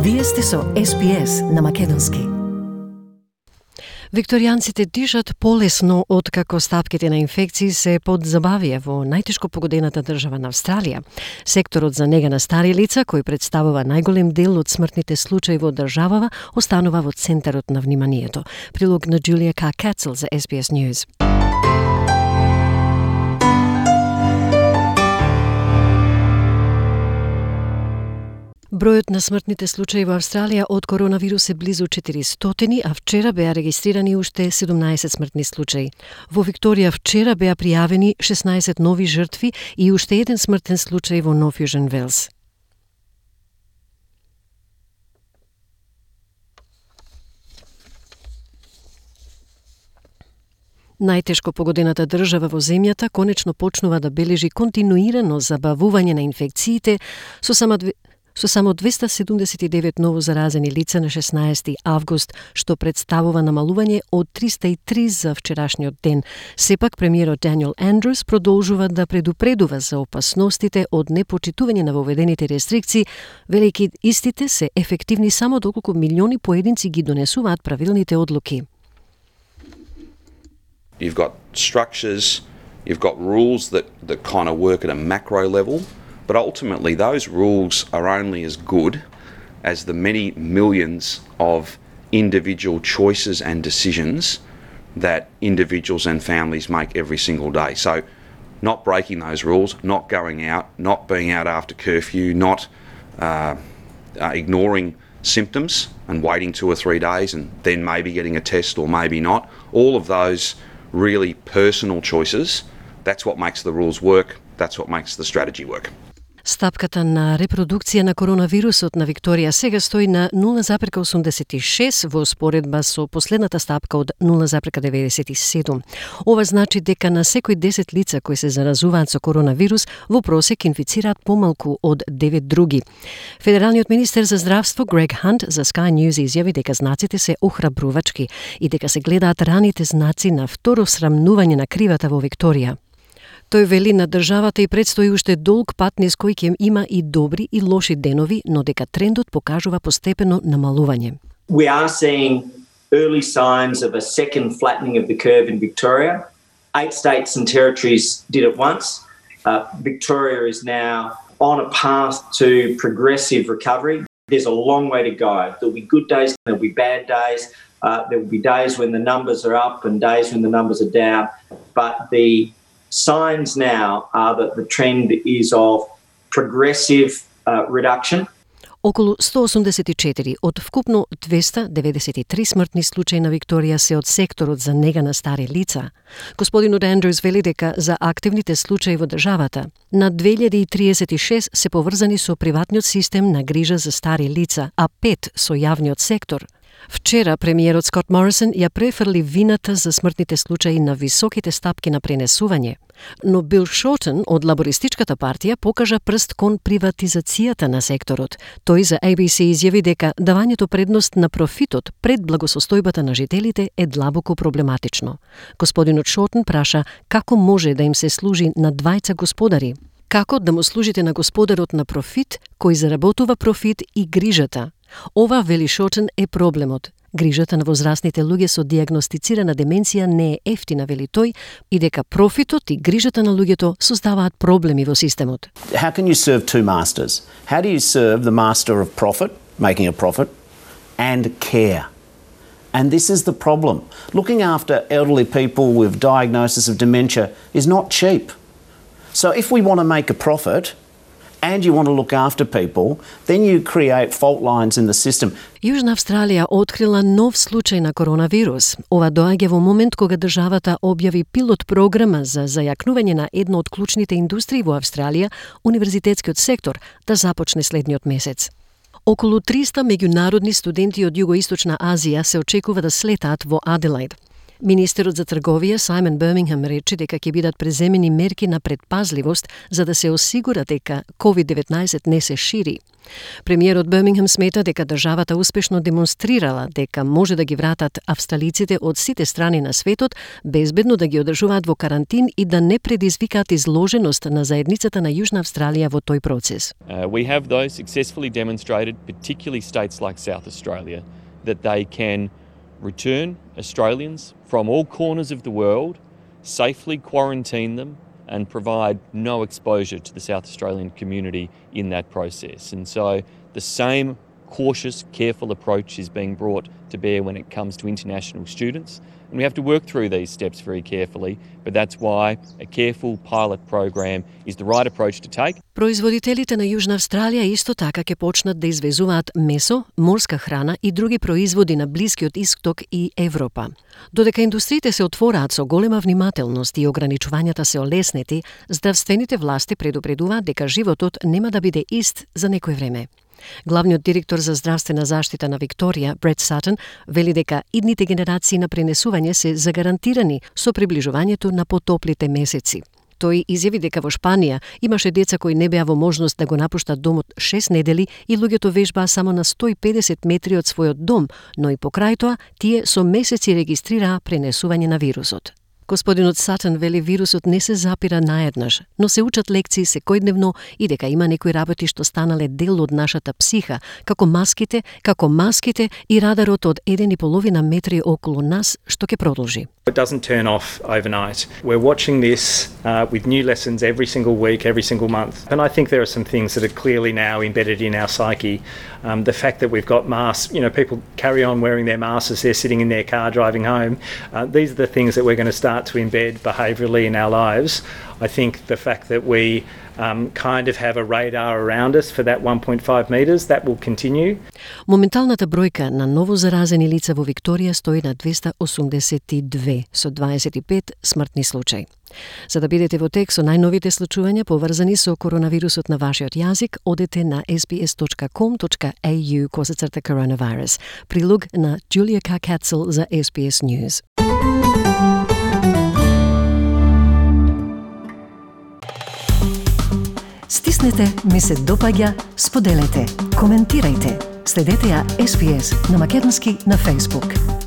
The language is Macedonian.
Вие сте со SPS на македонски. Викторијанците дишат полесно откако стапките на инфекции се подзабавија во најтешко погодената држава на Австралија. Секторот за нега на стари лица, кој представува најголем дел од смртните случаи во државава, останува во центарот на вниманието. Прилог на Джулија Кацел за SBS News. Бројот на смртните случаи во Австралија од коронавирус е близу 400, а вчера беа регистрирани уште 17 смртни случаи. Во Викторија вчера беа пријавени 16 нови жртви и уште еден смртен случај во Нов Јужен Велс. Најтешко погодената држава во земјата конечно почнува да бележи континуирано забавување на инфекциите со само 279 ново заразени лица на 16 август, што представува намалување од 303 за вчерашниот ден. Сепак, премиерот Даниел Андрус продолжува да предупредува за опасностите од непочитување на воведените рестрикции, велики истите се ефективни само доколку милиони поединци ги донесуваат правилните одлуки. You've got structures, you've got rules that kind of work at a macro level, but ultimately those rules are only as good as the many millions of individual choices and decisions that individuals and families make every single day. So not breaking those rules, not going out, not being out after curfew, not ignoring symptoms and waiting 2 or 3 days and then maybe getting a test or maybe not. All of those really personal choices, that's what makes the rules work, that's what makes the strategy work. Стапката на репродукција на коронавирусот на Викторија сега стои на 0,86 во споредба со последната стапка од 0,97. Ова значи дека на секој 10 лица кои се заразуваат со коронавирус во просек инфицираат помалку од 9 други. Федералниот министер за здравство Грег Хант за Sky News изјави дека знаците се охрабрувачки и дека се гледаат раните знаци на второ срамнување на кривата во Викторија. Тој вели на државата и предстои уште долг пат низ кој ќе има и добри и лоши денови, но дека трендот покажува постепено намалување. We are seeing early signs of a second flattening of the curve in Victoria. 8 states and territories did it once. Victoria is now on a path to progressive recovery. There's a long way to go. There'll be good days, there'll be bad days. There will be days when the numbers are up and days when the numbers are down. But the signs now are that the trend is of progressive reduction. Околу 184 од вкупно 293 смртни случаи на Викторија се од секторот за нега на стари лица. Господинот Андрус вели дека за активните случаи во државата на 2036 се поврзани со приватниот систем на грижа за стари лица, а 5 со јавниот сектор. Вчера премиерот Скот Морисон ја префрли вината за смртните случаи на високите стапки на пренесување, но Бил Шортен од лабористичката партија покажа прст кон приватизацијата на секторот. Тој за ABC изјави дека давањето предност на профитот пред благосостојбата на жителите е длабоко проблематично. Господинот Шортен праша како може да им се служи на двајца господари. Како да му служите на господарот на профит, кој заработува профит и грижата? Ова, вели Шортен, е проблемот. Грижата на возрастните луѓе со диагностицирана деменција не е ефтина, вели тој, и дека профитот и грижата на луѓето создаваат проблеми во системот. How can you serve two masters? How do you serve the master of profit, making a profit, and care? And this is the problem. Looking after elderly people with diagnosis of dementia is not cheap. So if we want to make a profit, and you want to look after people, then you create fault lines in the system. Јужна Австралија открила нов случај на коронавирус. Ова доаѓа во момент кога државата објави пилот програма за зајакнување на една од клучните индустрии во Австралија, универзитетскиот сектор, да започне следниот месец. Околу 300 меѓународни студенти од Југоисточна Азија се очекува да слетаат во Аделаид. Министерот за трговија Саймон Бирмингем рече дека ќе бидат преземени мерки на предпазливост за да се осигура дека COVID-19 не се шири. Премиерот Бирмингем смета дека државата успешно демонстрирала дека може да ги вратат австралиците од сите страни на светот, безбедно да ги одржуваат во карантин и да не предизвикаат изложеност на заедницата на Јужна Австралија во тој процес. We have those successfully demonstrated, particularly states like South Australia, that they can return Australians from all corners of the world, safely quarantine them, and provide no exposure to the South Australian community in that process. And so the same cautious, careful approach is being brought to bear when it comes to international students. And we have to work through these steps very carefully, but that's why a careful pilot program is the right approach to take. Производителите на Јужна Австралија исто така ќе почнат да извезуваат месо, морска храна и други производи на Блискиот Исток и Европа. Додека индустриите се отвораат со голема внимателност и ограничувањата се олеснети, здравствените власти предупредуваат дека животот нема да биде ист за некој време. Главниот директор за здравствена заштита на Викторија, Брет Сатон, вели дека идните генерации на пренесување се загарантирани со приближувањето на потоплите месеци. Тој изјави дека во Шпанија имаше деца кои не беа во можност да го напуштат домот 6 недели и луѓето вежбаа само на 150 метри од својот дом, но и покрај тоа тие со месеци регистрираа пренесување на вирусот. Господинот Сатон вели вирусот не се запира наеднаш, но се учат лекции секојдневно и дека има некои работи што станале дел од нашата психа, како маските и радарот од 1,5 метри околу нас, што ќе продолжи. It doesn't turn off overnight. We're watching this with new lessons every single week, every single month. And I think there are some things that are clearly now embedded in our psyche. The fact that we've got masks, people carry on wearing their masks as they're sitting in their car driving home. These are the things that we're going to start to embed behaviourally in our lives. I think the fact that we kind of have a radar around us for that 1.5 metres, that will continue. Моменталната бројка на ново заразени лица во Викторија стои на 282 со 25 смртни случаи. За да бидете во тек со најновите случувања поврзани со коронавирусот на вашиот јазик, одете на sbs.com.au/coronavirus. Прилог на Julia Carr-Katzel за SBS News. Стиснете, ми се допаѓа, споделете, коментирајте. Следете ја SBS на македонски на Facebook.